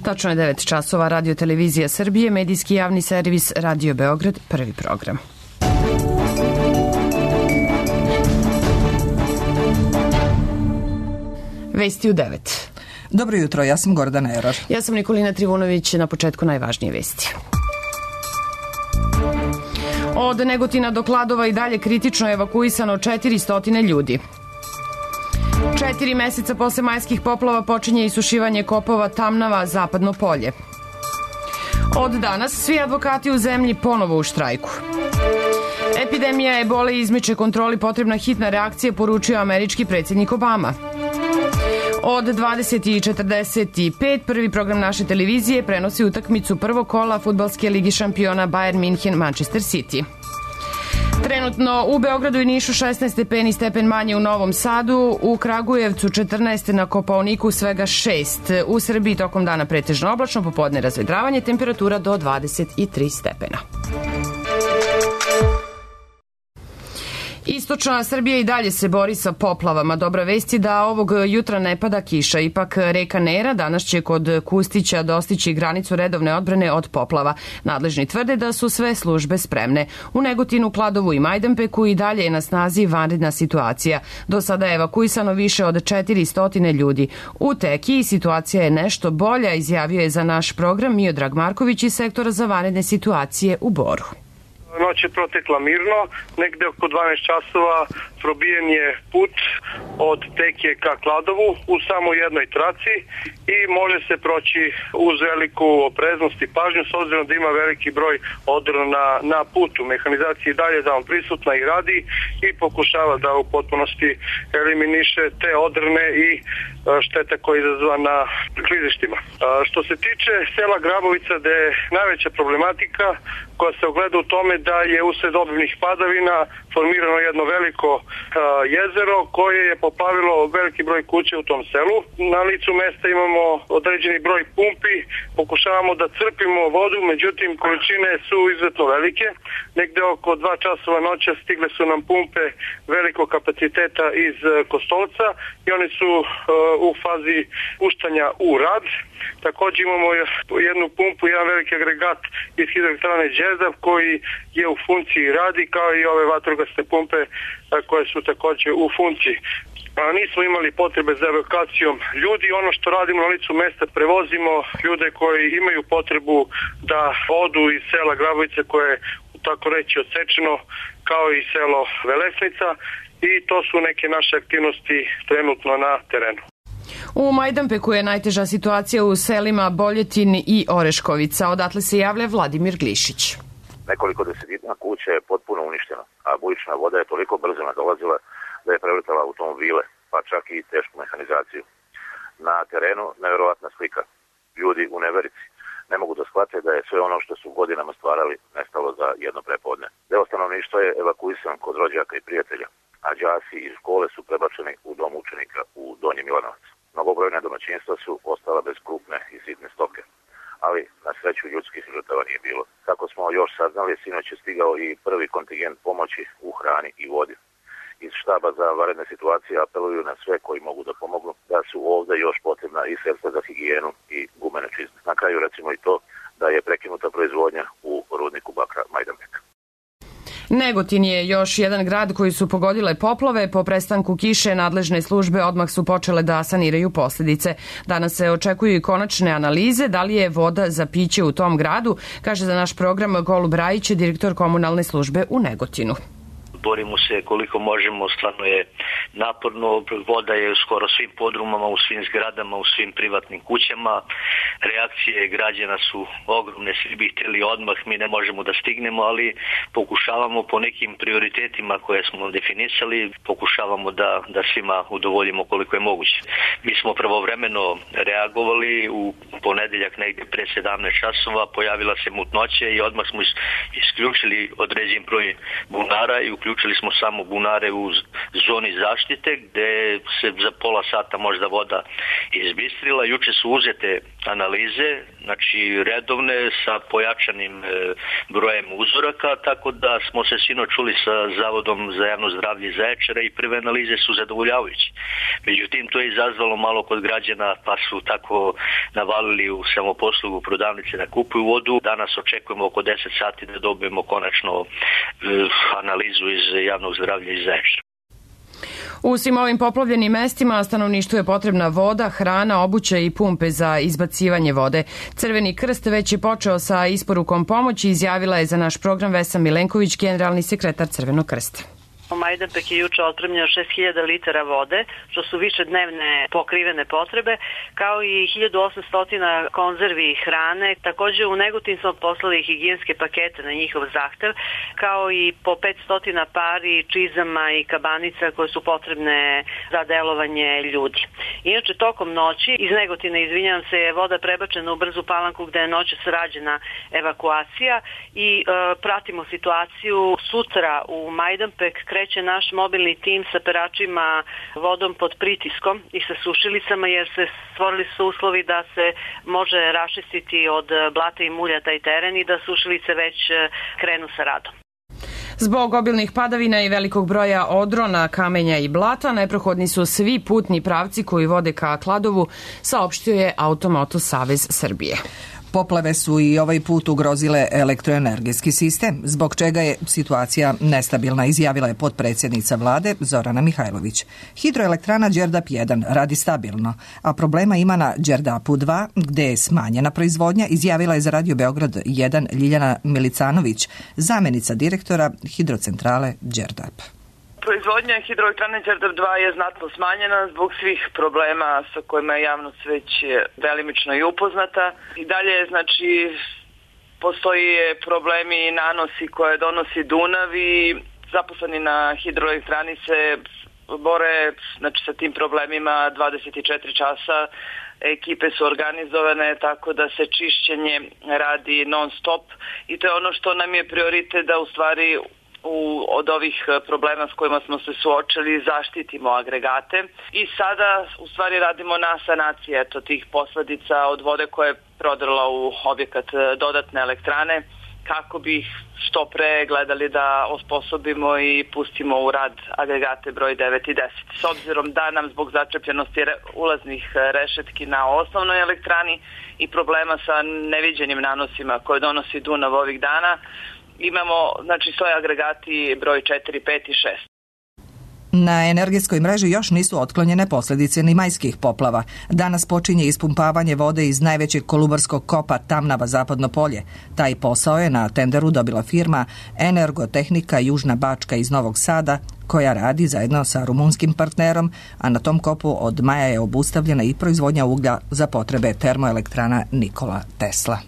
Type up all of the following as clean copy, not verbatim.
Tačno je 9 časova, Radio Televizija Srbije, medijski javni servis Radio Beograd, prvi program. Vesti u 9. Dobro jutro, ja sam Gordana Eror. Ja sam Nikolina Trivunović, na početku najvažnije vesti. Od Negotina do Kladova i dalje kritično evakuisano 400 ljudi. 4 meseca posle majskih poplava počinje isušivanje kopova Tamnava, Zapadno polje. Od danas svi advokati u zemlji ponovo u štrajku. Epidemija ebole izmiče kontroli, potrebna hitna reakcija, poručio američki predsjednik Obama. Od 20:45 prvi program naše televizije prenosi utakmicu prvog kola fudbalske ligi šampiona Bayern München Manchester City. Trenutno u Beogradu i Nišu 16 stepeni, stepen manje u Novom Sadu, u Kragujevcu 14, na Kopaoniku svega 6. U Srbiji tokom dana pretežno oblačno, popodne razvedravanje, temperatura do 23 stepena. Istočna Srbija i dalje se bori sa poplavama. Dobra vest je da ovog jutra ne pada kiša. Ipak reka Nera danas će kod Kustića dostići granicu redovne odbrane od poplava. Nadležni tvrde da su sve službe spremne. U Negotinu, Kladovu i Majdanpeku i dalje je na snazi vanredna situacija. Do sada je evakuisano više od 400 ljudi. U Tekiji situacija je nešto bolja, izjavio je za naš program Miodrag Marković iz sektora za vanredne situacije u Boru. Noć je protekla mirno, negde oko 12 časova probijen je put od Tekije ka Kladovu u samo jednoj traci i može se proći uz veliku opreznost i pažnju, s obzirom da ima veliki broj odrona na putu. Mehanizacija i dalje tamo prisutna i radi i pokušava da u potpunosti eliminiše te odrne i šteta koja je izazvana klizištima. Što se tiče sela Grabovica, gde je najveća problematika koja se ogleda u tome da je usled obimnih padavina formirano jedno veliko jezero koje je poplavilo veliki broj kuća u tom selu. Na licu mesta imamo određeni broj pumpi, pokušavamo da crpimo vodu, međutim količine su izuzetno velike. Negde oko 2 časova noća stigle su nam pumpe velikog kapaciteta iz Kostolca i oni su u fazi puštanja u rad. Također imamo jednu pumpu, jedan veliki agregat iz hidroelektrane Đerdap koji je u funkciji radi, kao i ove vatrogasne pumpe koje su također u funkciji. Nismo imali potrebe za evakuacijom ljudi. Ono što radimo na licu mesta, prevozimo ljude koji imaju potrebu da odu iz sela Grabovice koje je tako reći odsečeno, kao i selo Velesnica, i to su neke naše aktivnosti trenutno na terenu. U Majdanpeku je najteža situacija u selima Boljetin i Oreškovica. Odatle se javlja Vladimir Glišić. Nekoliko desetina kuća je potpuno uništeno, a bujična voda je toliko brzo nadolazila da je preletala automobile, pa čak i tešku mehanizaciju. Na terenu nevjerovatna slika. Ljudi u neverici ne mogu da shvate da je sve ono što su godinama stvarali nestalo za jedno prepodne. Deo stanovništva je evakuisan kod rođaka i prijatelja, a đaci iz škole su prebačeni u dom učenika u Donji Milanovac. Mnogobrojne domaćinstva su ostala bez krupne i sitne stoke, ali na sreću ljudskih žrtava nije bilo. Kako smo još saznali, sinoć je stigao i prvi kontingent pomoći u hrani i vodi. Iz štaba za vanredne situacije apeluju na sve koji mogu da pomognu da su ovdje još potrebna i sredstva za higijenu i gumene čizme. Na kraju recimo i to da je prekinuta proizvodnja u rudniku bakra Majdanpeka. Negotin je još jedan grad koji su pogodile poplave. Po prestanku kiše nadležne službe odmah su počele da saniraju posljedice. Danas se očekuju i konačne analize da li je voda za piće u tom gradu, kaže za naš program Golub Rajić, direktor komunalne službe u Negotinu. Borimo se koliko možemo, stvarno je naporno, voda je u skoro svim podrumama, u svim zgradama, u svim privatnim kućama. Reakcije građana su ogromne, svi bi htjeli odmah, mi ne možemo da stignemo, ali pokušavamo po nekim prioritetima koje smo definisali, pokušavamo da svima udovoljimo koliko je moguće. Mi smo pravovremeno reagovali, u ponedeljak negdje pre 17 časova pojavila se mutnoća i odmah smo isključili određen broj bunara i uključili isključili smo samo bunare u zoni zaštite gde se za pola sata možda voda izbistrila. Juče su uzete analize, znači redovne sa pojačanim brojem uzoraka, tako da smo se sinoć čuli sa Zavodom za javno zdravlje iz Zaječara i prve analize su zadovoljavajuće. Međutim, to je izazvalo malo kod građana, pa su tako navalili u samoposlugu prodavnice da kupuju vodu. Danas očekujemo oko 10 sati da dobijemo konačno analizu iz javnog zdravlja iz Zaječara. U svim ovim poplavljenim mestima stanovništvu je potrebna voda, hrana, obuća i pumpe za izbacivanje vode. Crveni krst već je počeo sa isporukom pomoći, izjavila je za naš program Vesna Milenković, generalni sekretar Crvenog krsta. Majdanpek je juče otpremljeno 6000 litara vode, što su više dnevne pokrivene potrebe, kao i 1800 konzervi hrane. Takođe u Negotin smo poslali higijenske pakete na njihov zahtev, kao i po 500 pari čizama i kabanica koje su potrebne za delovanje ljudi. Inače, tokom noći iz Negotina, izvinjam se, je voda prebačena u Brzu Palanku gde je noćas rađena evakuacija i pratimo situaciju. Sutra u Majdanpek kreće naš mobilni tim sa peračima vodom pod pritiskom i sa sušilicama, jer se stvorili su uslovi da se može raščistiti od blata i mulja taj teren i da sušilice već krenu sa radom. Zbog obilnih padavina i velikog broja odrona, kamenja i blata, neprohodni su svi putni pravci koji vode ka Kladovu, saopštio je Automoto Savez Srbije. Poplave su i ovaj put ugrozile elektroenergetski sistem, zbog čega je situacija nestabilna, izjavila je potpredsjednica vlade Zorana Mihajlović. Hidroelektrana Đerdap 1 radi stabilno, a problema ima na Đerdapu 2, gde je smanjena proizvodnja, izjavila je za Radio Beograd 1 Ljiljana Milicanović, zamenica direktora hidrocentrale Đerdap. Proizvodnja hidroelektrane Đerdap 2 je znatno smanjena zbog svih problema sa kojima je javnost već delimično i upoznata. I dalje, znači, postoji problemi i nanosi koje donosi Dunav i zaposleni na hidroelektrani se bore, znači, sa tim problemima 24 časa. Ekipe su organizovane tako da se čišćenje radi non stop i to je ono što nam je prioritet, da u stvari od ovih problema s kojima smo se suočili zaštitimo agregate i sada u stvari radimo na sanaciji tih posledica od vode koja je prodrla u objekat dodatne elektrane, kako bi što pre gledali da osposobimo i pustimo u rad agregate broj 9 i 10. S obzirom da nam zbog začepljenosti ulaznih rešetki na osnovnoj elektrani i problema sa neviđenim nanosima koje donosi Dunav ovih dana, imamo, znači, svoje agregati broj 4, 5 i 6. Na energetskoj mreži još nisu otklonjene posljedice ni majskih poplava. Danas počinje ispumpavanje vode iz najvećeg kolubarskog kopa Tamnava Zapadno polje. Taj posao je na tenderu dobila firma Energotehnika Južna Bačka iz Novog Sada, koja radi zajedno sa rumunskim partnerom, a na tom kopu od maja je obustavljena i proizvodnja uglja za potrebe termoelektrana Nikola Tesla.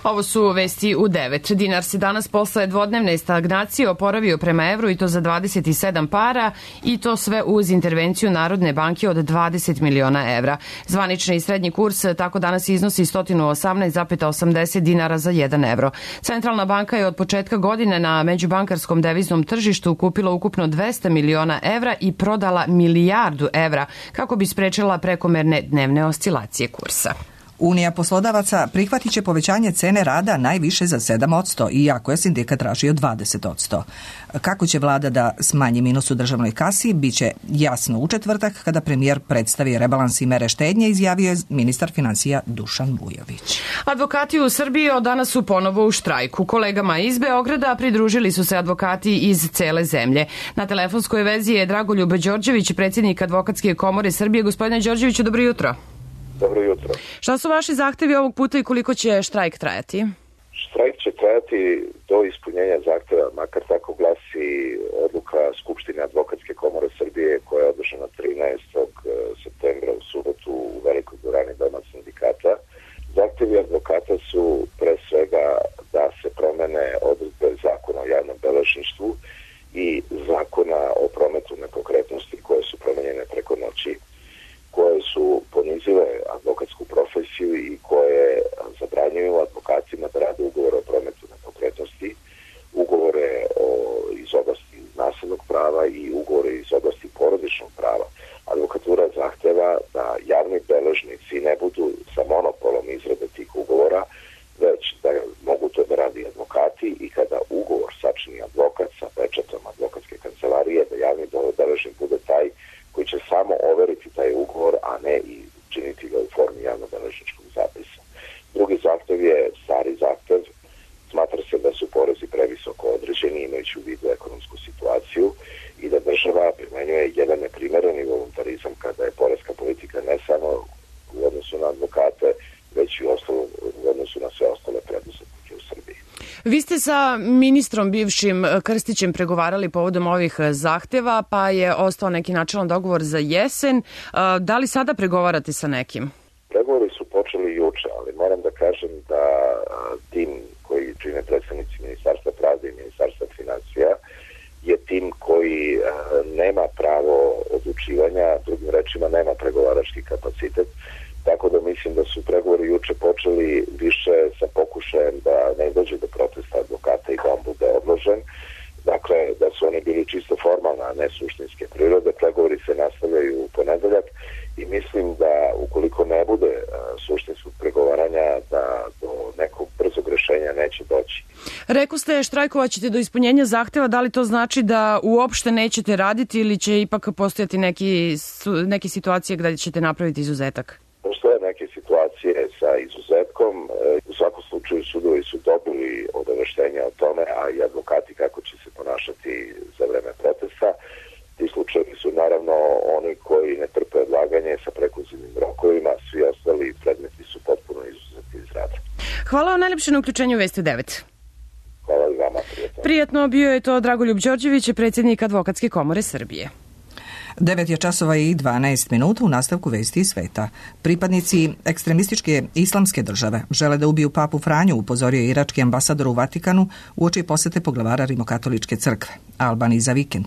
Ovo su vesti u 9. Dinar se danas posle dvodnevne stagnacije oporavio prema evru i to za 27 para i to sve uz intervenciju Narodne banke od 20 miliona evra. Zvanični i srednji kurs tako danas iznosi 118,80 dinara za 1 evro. Centralna banka je od početka godine na međubankarskom deviznom tržištu kupila ukupno 200 miliona evra i prodala milijardu evra kako bi sprečila prekomerne dnevne oscilacije kursa. Unija poslodavaca prihvatit će povećanje cene rada najviše za 7%, iako je sindikat tražio 20%. Kako će vlada da smanji minus u državnoj kasi, bit će jasno u četvrtak kada premijer predstavi rebalans i mere štednje, izjavio je ministar financija Dušan Vujović. Advokati u Srbiji od danas su ponovo u štrajku. Kolegama iz Beograda pridružili su se advokati iz cele zemlje. Na telefonskoj vezi je Dragoljub Đorđević, predsjednik Advokatske komore Srbije. Gospodine Đorđeviću, dobro jutro. Dobro jutro. Šta su vaši zahtevi ovog puta i koliko će štrajk trajati? Štrajk će trajati do ispunjenja zahteva, makar tako glasi odluka Skupštine Advokatske komore Srbije koja je održana 13. septembra u subotu u velikoj dvorani Doma sindikata. Zahtevi advokata su pre svega da se promene odredbe zakona o javnom beležništvu i zakona o prometu nepokretnosti koje su promenjene preko noći, koje su ponizile advokatsku profesiju i koje zabranjuju advokatima da rade ugovore o prometu nepokretnosti, ugovore Advokatura zahteva da javni beležnici ne budu sa monopolom izrade tih ugovora, već da mogu to da radi advokati i kada ugovor sačini advokat sa pečatom advokatske kancelarije, da javni beležnik bude taj koji će samo overiti taj ugovor, a ne i činiti ga u formi javno-beležničkog zapisa. Drugi zahtev je stari zahtev. Smatra se da su porezi previsoko određeni imajući u vidu ekonomsku situaciju i da država primenjuje jedan neprimereni voluntarizam kada je poreska politika ne samo u odnosu na advokate, već i u odnosu na sve ostale preduzetnike u Srbiji. Vi ste sa ministrom bivšim Krstićem pregovarali povodom ovih zahteva, pa je ostao neki načelan dogovor za jesen. Da li sada pregovarate sa nekim? Pregovori su počeli juče, ali moram da kažem da tim koji čine predstavnici Ministarstva pravde i Ministarstva finansija je tim koji nema pravo odlučivanja, drugim rečima nema pregovarački kapacitet, tako da mislim da su pregovori juče počeli više sa pokušajem da ne dođe do protesta advokata i da on bude odložen. Dakle, da su oni bili čisto formalne, a ne suštinske prirode. Pregovori se nastavljaju u ponedeljak i mislim da ukoliko ne bude suštinskog pregovaranja, da do nekog brzog rešenja neće doći. Rekoste, štrajkovaćete do ispunjenja zahteva, da li to znači da uopšte nećete raditi ili će ipak postojati neke situacije gde ćete napraviti izuzetak? Postoje neke situacije sa izuzetkom. U svakom slučaju sudovi su dobili obaveštenja o tome, a i advokati kako će se ponašati za vreme protesta. Ti slučajevi su naravno oni koji ne trpe odlaganje sa prekluzivnim rokovima, svi ostali predmeti su potpuno izuzeti iz rada. Hvala vam najlepše na uključenju Vesti 9. Hvala i vama, prijatno. Prijatno, bio je to Dragoljub Đorđević, predsjednik Advokatske komore Srbije. 9 je časova i 12 minuta u nastavku Vesti iz sveta. Pripadnici ekstremističke islamske države žele da ubiju papu Franju, upozorio je irački ambasador u Vatikanu uoči posete poglavara Rimokatoličke crkve, Albaniji za vikend.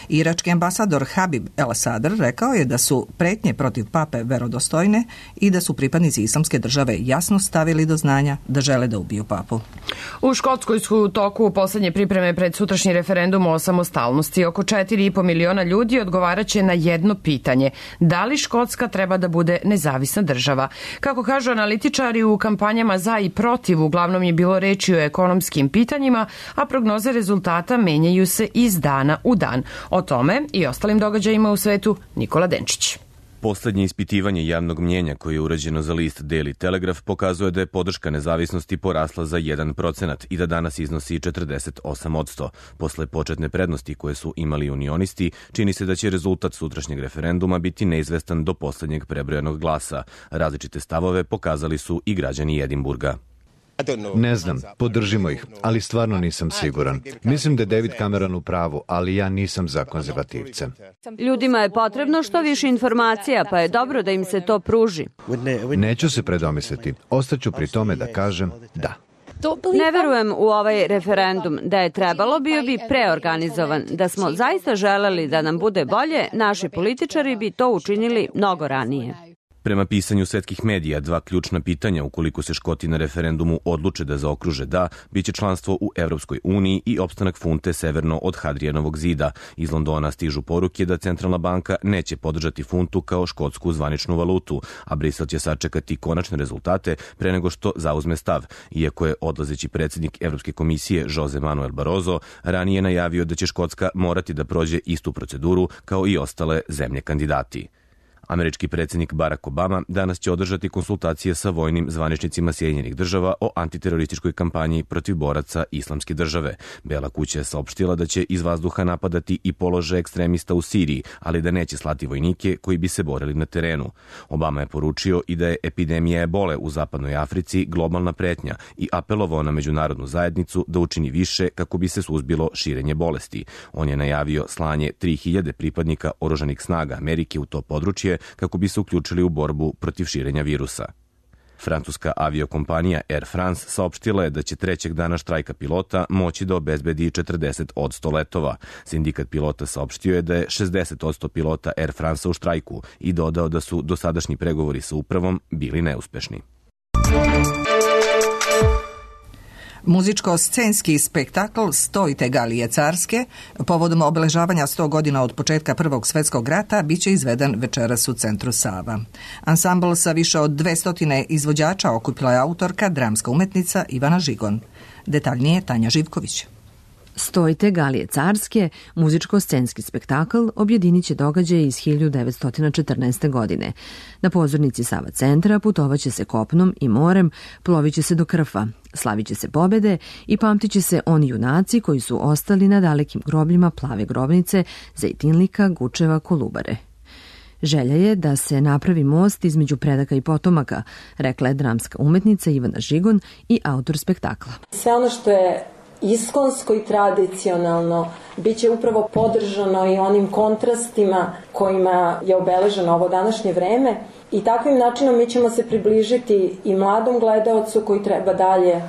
Irački ambasador Habib El Sadr rekao je da su pretnje protiv pape verodostojne i da su pripadnici islamske države jasno stavili do znanja da žele da ubiju papu. U Škotskoj su u toku poslednje pripreme pred sutrašnji referendum o samostalnosti. Oko 4,5 miliona ljudi odgovaraće na jedno pitanje. Da li Škotska treba da bude nezavisna država? Kako kažu analitičari, u kampanjama za i protiv uglavnom je bilo reči o ekonomskim pitanjima, a prognoze rezultata menjaju se iz dana u dan. O tome i ostalim događajima u svetu Nikola Denčić. Poslednje ispitivanje javnog mnjenja koje je urađeno za list Daily Telegraph pokazuje da je podrška nezavisnosti porasla za 1% i da danas iznosi 48%. Posle početne prednosti koje su imali unionisti, čini se da će rezultat sutrašnjeg referenduma biti neizvestan do poslednjeg prebrojanog glasa. Različite stavove pokazali su i građani Edinburga. Ne znam, podržimo ih, ali stvarno nisam siguran. Mislim da je David Cameron u pravu, ali ja nisam za konzervativce. Ljudima je potrebno što više informacija, pa je dobro da im se to pruži. Neću se predomisliti. Ostaću pri tome da kažem da. Ne verujem u ovaj referendum. Da je trebalo, bio bi preorganizovan. Da smo zaista želeli da nam bude bolje, naši političari bi to učinili mnogo ranije. Prema pisanju svetskih medija, dva ključna pitanja ukoliko se Škoti na referendumu odluče da zaokruže da, biće članstvo u Evropskoj uniji i opstanak funte severno od Hadrijanovog zida. Iz Londona stižu poruke da Centralna banka neće podržati funtu kao škotsku zvaničnu valutu, a Brisel će sačekati konačne rezultate pre nego što zauzme stav, iako je odlazeći predsjednik Evropske komisije Jose Manuel Barroso ranije najavio da će Škotska morati da prođe istu proceduru kao i ostale zemlje kandidati. Američki predsjednik Barack Obama danas će održati konsultacije sa vojnim zvaničnicima Sjedinjenih država o antiterorističkoj kampanji protiv boraca Islamske države. Bela kuća je saopštila da će iz vazduha napadati i položaje ekstremista u Siriji, ali da neće slati vojnike koji bi se borili na terenu. Obama je poručio i da je epidemija ebole u zapadnoj Africi globalna pretnja i apelovao na međunarodnu zajednicu da učini više kako bi se suzbilo širenje bolesti. On je najavio slanje 3000 pripadnika oružanih snaga Amerike u to područje kako bi se uključili u borbu protiv širenja virusa. Francuska aviokompanija Air France saopštila je da će trećeg dana štrajka pilota moći da obezbedi 40% letova. Sindikat pilota saopštio je da je 60% pilota Air France u štrajku i dodao da su dosadašnji pregovori sa upravom bili neuspešni. Muzičko-scenski spektakl Stojte Galije carske, povodom obeležavanja 100 godina od početka Prvog svjetskog rata, biće izveden večeras u centru Sava. Ansambl sa više od 200 izvođača okupila je autorka, dramska umetnica Ivana Žigon. Detaljnije Tanja Živković. Stojte Galije carske, muzičko-scenski spektakl, objedinit će događaje iz 1914. godine. Na pozornici Sava centra putovaće se kopnom i morem, plovit će se do Krfa, slavit će se pobede i pamtit će se oni junaci koji su ostali na dalekim grobljima Plave grobnice, Zejtinlika, Gučeva, Kolubare. Želja je da se napravi most između predaka i potomaka, rekla je dramska umetnica Ivana Žigon i autor spektakla. Sve ono što je iskonsko i tradicionalno bit će upravo podržano i onim kontrastima kojima je obeleženo ovo današnje vreme i takvim načinom mi ćemo se približiti i mladom gledaocu koji treba dalje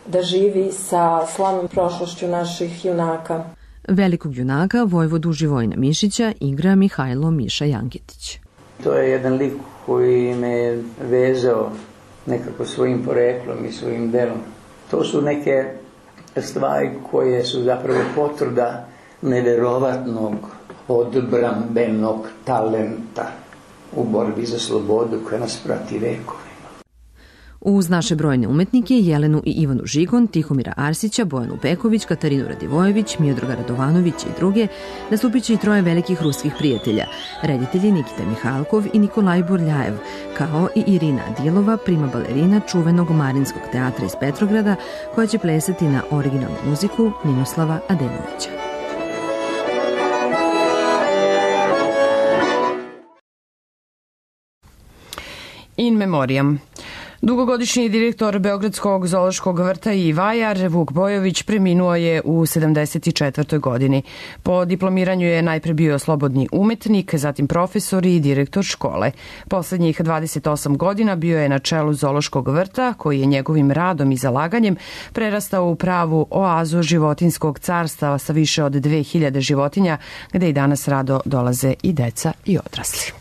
da živi sa slavnom prošlošću naših junaka. Velikog junaka, vojvodu Živojina Mišića, igra Mihajlo Miša Janketić. To je jedan lik koji me vezao nekako svojim poreklom i svojim delom. To su neke stvari koje su zapravo potvrda neverovatnog odbrambenog talenta u borbi za slobodu koja nas prati vekovima. Uz naše brojne umetnike Jelenu i Ivanu Žigon, Tihomira Arsića, Bojanu Peković, Katarinu Radivojević, Miodraga Radovanovića i druge, nastupit će i troje velikih ruskih prijatelja, reditelji Nikita Mihalkov i Nikolaj Burljajev, kao i Irina Adilova, prima balerina čuvenog Marinskog teatra iz Petrograda, koja će plesati na originalnu muziku Ninoslava Ademovića. In memoriam. Dugogodišnji direktor Beogradskog zoološkog vrta i vajar Vuk Bojović preminuo je u 74. godini. Po diplomiranju je najpre bio slobodni umetnik, zatim profesor i direktor škole. Poslednjih 28 godina bio je na čelu zoološkog vrta, koji je njegovim radom i zalaganjem prerastao u pravu oazu životinskog carstva sa više od 2000 životinja, gde i danas rado dolaze i deca i odrasli.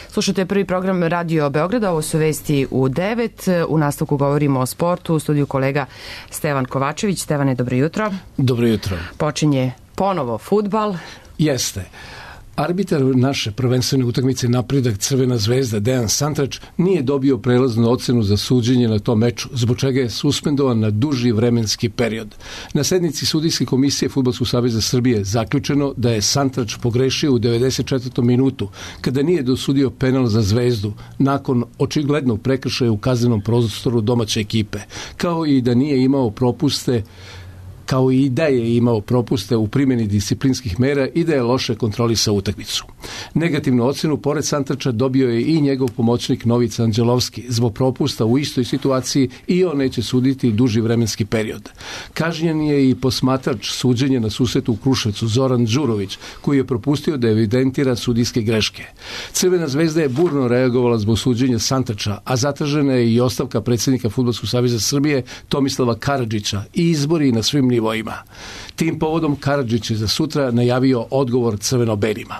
Slušate prvi program Radio Beograda, ovo su vesti u 9. U nastavku govorimo o sportu, u studiju kolega Stevan Kovačević. Stevane, dobro jutro. Dobro jutro. Počinje ponovo fudbal. Jeste. Arbitar naše prvenstvene utakmice Napredak Crvena zvezda Dejan Santrač nije dobio prelaznu ocenu za suđenje na tom meču, zbog čega je suspendovan na duži vremenski period. Na sednici sudijske komisije Fudbalskog saveza Srbije zaključeno da je Santrač pogrešio u 94. minutu kada nije dosudio penal za Zvezdu nakon očiglednog prekršaja u kaznenom prostoru domaće ekipe, kao i da je imao propuste u primjeni disciplinskih mera i da je loše kontrolisao utakmicu. Negativnu ocenu pored Santrača dobio je i njegov pomoćnik Novica Anđelovski zbog propusta u istoj situaciji i on neće suditi duži vremenski period. Kažnjen je i posmatrač suđenja na susretu u Kruševcu Zoran Đurović, koji je propustio da evidentira sudijske greške. Crvena zvezda je burno reagovala zbog suđenja Santrača, a zatražena je i ostavka predsjednika Fudbalskog saveza Srbije Tomislava Karadžića i izbori na svim nivoima. Tim povodom Karadžić je za sutra najavio odgovor crveno-belima.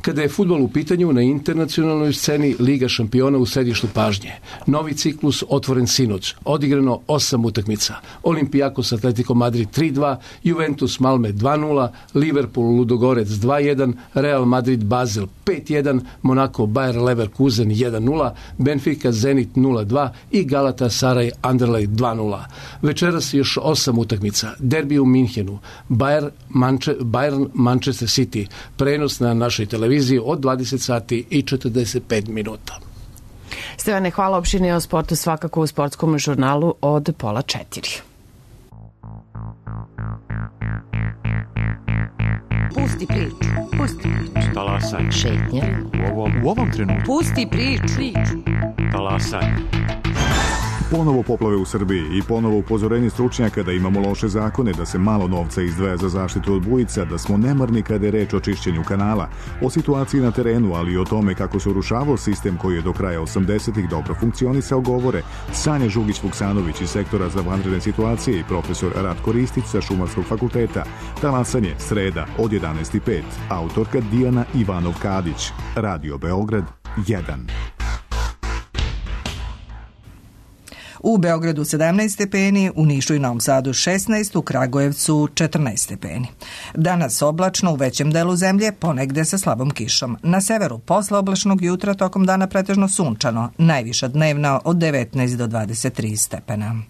Kada je fudbal u pitanju, na internacionalnoj sceni Liga šampiona u središtu pažnje. Novi ciklus otvoren sinoć, odigrano 8 utakmica. Olimpijakos Atletico Madrid 3-2, Juventus Malme 2-0, Liverpool Ludogorec 2-1, Real Madrid Basel 5-1, Monaco Bayer Leverkusen 1-0, Benfica Zenit 0-2 i Galatasaray Anderlecht 2-0. Večeras još 8 utakmica. Derbi u Minhenu, Bayern Manchester City, prenos na našoj televiziji od 20 sati i 45 minuta. Stevane, hvala. Opširnije o sportu svakako u sportskom žurnalu od 3:30. Pusti priču. Talasaj. Šetnja. U ovom trenutku. Pusti priču. Talasaj. Ponovo poplave u Srbiji i ponovo upozorenje stručnjaka da imamo loše zakone, da se malo novca izdvaja za zaštitu od bujica, da smo nemarni kada je reč o čišćenju kanala, o situaciji na terenu, ali i o tome kako se urušavao sistem koji je do kraja 80-ih dobro funkcionisao, govore Sanja Žugić-Vuksanović iz sektora za vanredne situacije i profesor Ratko Ristić sa Šumarskog fakulteta. Talasanje, sreda od 11:05. Autorka Dijana Ivanov-Kadić. Radio Beograd 1. U Beogradu 17 stepeni, u Nišu i Novom Sadu 16, u Kragujevcu 14 stepeni. Danas oblačno u većem delu zemlje, ponegde sa slabom kišom. Na severu posle oblačnog jutra tokom dana pretežno sunčano, najviša dnevna od 19 do 23 stepena.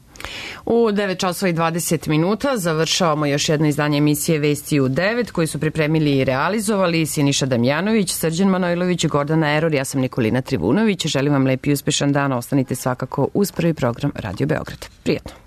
U 9 časova i 20 minuta završavamo još jedno izdanje emisije Vesti u 9 koji su pripremili i realizovali Siniša Damjanović, Srđan Manojlović, Gordana Eror, ja sam Nikolina Trivunović. Želim vam lep i uspešan dan, ostanite svakako uz prvi program Radio Beograd. Prijetno.